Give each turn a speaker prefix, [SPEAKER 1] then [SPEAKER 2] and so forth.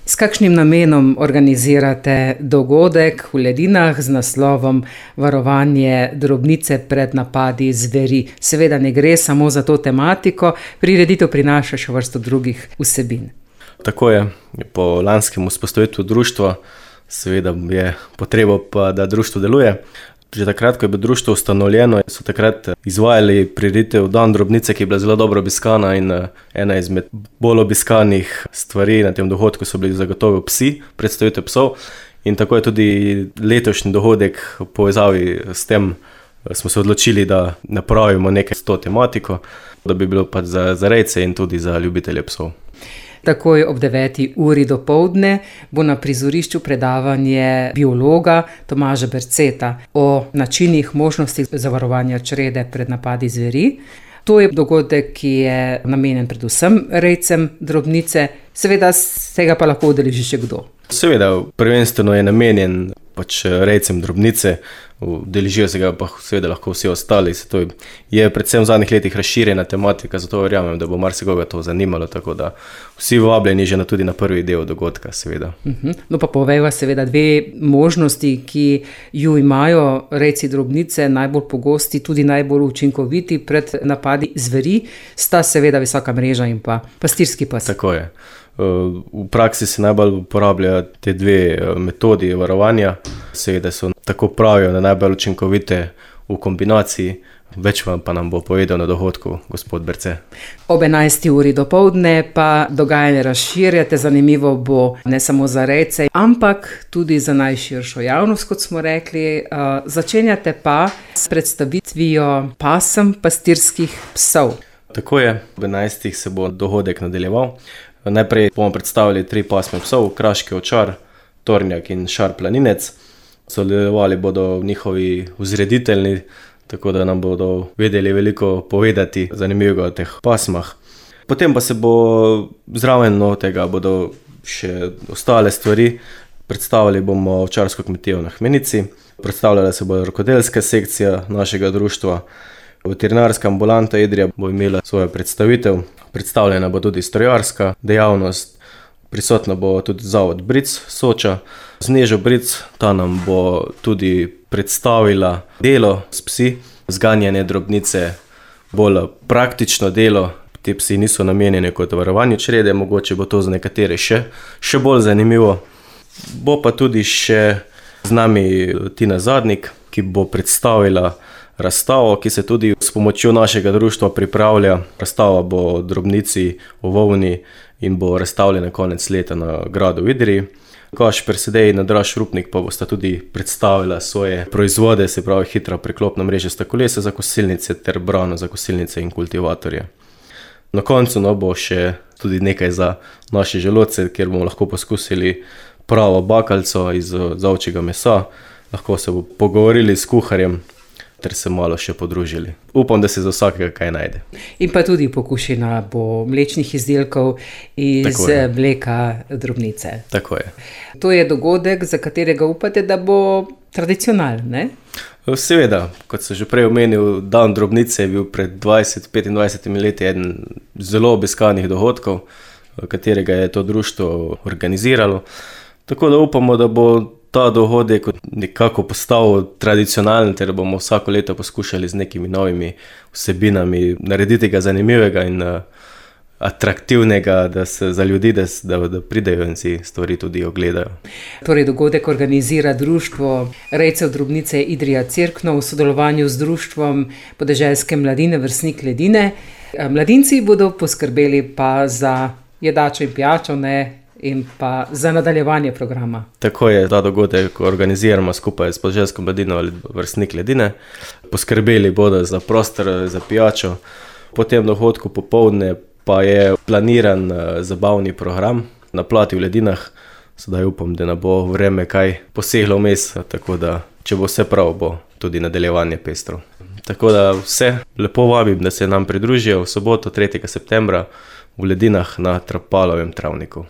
[SPEAKER 1] S kakšnim namenom organizirate dogodek v Ledinah z naslovom Varovanje drobnice pred napadi zveri? Seveda ne gre samo za to tematiko, prireditev prinaša še vrsto drugih vsebin.
[SPEAKER 2] Tako je, po lanskem vzpostavitvu društva seveda je potreba pa, da društvo deluje. Že takrat, ko je bilo društvo ustanovljeno, so takrat izvajali prireditev Dan drobnice, ki je bila zelo dobro obiskana in ena izmed bolj obiskanih stvari na tem dogodku so bili zagotovo psi, predstavitev psov. In tako je tudi letošnji dogodek v povezavi s tem smo se odločili, da napravimo nekaj s to tematiko, da bi bilo pa za rejce in tudi za ljubitelje psov.
[SPEAKER 1] Takoj ob 9. uri dopoldne bo na prizorišču predavanje biologa Tomaža Berceta o načinih možnostih zavarovanja črede pred napadi zveri. To je dogodek, ki je namenjen predvsem rejcem drobnice, seveda se ga pa lahko udeleži še kdo.
[SPEAKER 2] Seveda, prvenstveno je namenjen rejcem drobnice, udeležijo se ga pa seveda lahko vsi ostali. To je predvsem v zadnjih letih razširjena tematika, zato verjamem, da bo marsikoga to zanimalo, tako da vsi vabljeni že tudi na prvi del dogodka, seveda.
[SPEAKER 1] No pa povejva seveda dve možnosti, ki ju imajo rejci drobnice, najbolj pogosti, tudi najbolj učinkoviti pred napadi zveri, sta seveda visoka mreža in pa pastirski pes.
[SPEAKER 2] Tako je. V praksi se najbolj uporabljajo te dve metodi varovanja. Seveda so, tako pravijo, najbolj učinkovite v kombinaciji. Več vam pa nam bo povedal na dogodku gospod Berce.
[SPEAKER 1] Ob 11. uri dopoldne pa dogajanje razširjate. Zanimivo bo ne samo za rejce, ampak tudi za najširšo javnost, kot smo rekli. Začenjate pa s predstavitvijo pasem pastirskih psov.
[SPEAKER 2] Tako je, ob 11. se bo dogodek nadaljeval. Najprej bomo predstavili 3 pasme psov, kraški ovčar, tornjak in šar planinec. Sodelovali bodo njihovi vzreditelji, tako da nam bodo vedeli veliko povedati zanimivega o teh pasmah. Potem pa se bo zraven tega bodo še ostale stvari. Predstavili bomo ovčarsko kmetijo na Hmenici, predstavljala se bo rokodelska sekcija našega društva, veterinarska ambulanta Idrija bo imela svojo predstavitev, predstavljena bo tudi strojarska dejavnost, prisotna bo tudi zavod Bric Soča. Snežo Bric, ta nam bo tudi predstavila delo s psi, zganjanje drobnice, bolj praktično delo. Te psi niso namenjeni kot varovanju črede, mogoče bo to za nekatere še bolj zanimivo. Bo pa tudi še z nami Tina Zadnik, ki bo predstavila razstavo, ki se tudi s pomočjo našega društva pripravlja. Razstava bo o drobnici, o volni in bo razstavljena konec leta na gradu v Idriji. Gašper Sedej in Draž Rupnik pa bosta tudi predstavila svoje proizvode, se pravi hitra preklopna mrežasta kolesa za kosilnice ter brano za kosilnice in kultivatorje. Na koncu bo še tudi nekaj za naše želodce, kjer bomo lahko poskusili pravo bakalco iz ovčjega mesa. Lahko se bo pogovorili s kuharjem ter se malo še podružili. Upam, da se za vsakega kaj najde.
[SPEAKER 1] In pa tudi pokušina bo mlečnih izdelkov iz mleka drobnice.
[SPEAKER 2] Tako je.
[SPEAKER 1] To je dogodek, za katerega upate, da bo tradicionalen, ne?
[SPEAKER 2] Seveda, kot sem že prej omenil, Dan drobnice je bil pred 20-25 leti eden zelo obiskanih dogodkov, katerega je to društvo organiziralo. Tako da upamo, da bo ta dogodek nekako postal tradicionalen, ter bomo vsako leto poskušali z nekimi novimi vsebinami narediti ga zanimivega in atraktivnega za ljudi, da pridejo in si stvari tudi ogledajo.
[SPEAKER 1] Torej, dogodek organizira društvo rejcev drobnice Idrija Cerkno v sodelovanju z društvom podeželske mladine Vrstnik Ledine. Mladinci bodo poskrbeli pa za jedačo in pijačo, in pa za nadaljevanje programa.
[SPEAKER 2] Tako je, ta dogodek organiziramo skupaj s podeželsko mladino Vrstnik Ledine. Poskrbeli bodo za prostor, za pijačo. Po tem dogodku popoldne pa je planiran zabavni program na plati v Ledinah. Sedaj upam, da ne bo vreme kaj poseglo vmes, tako da če bo vse prav, bo tudi nadaljevanje pestro. Tako da vse lepo vabim, da se nam pridružijo v soboto 3. septembra v Ledinah na Trapalovem travniku.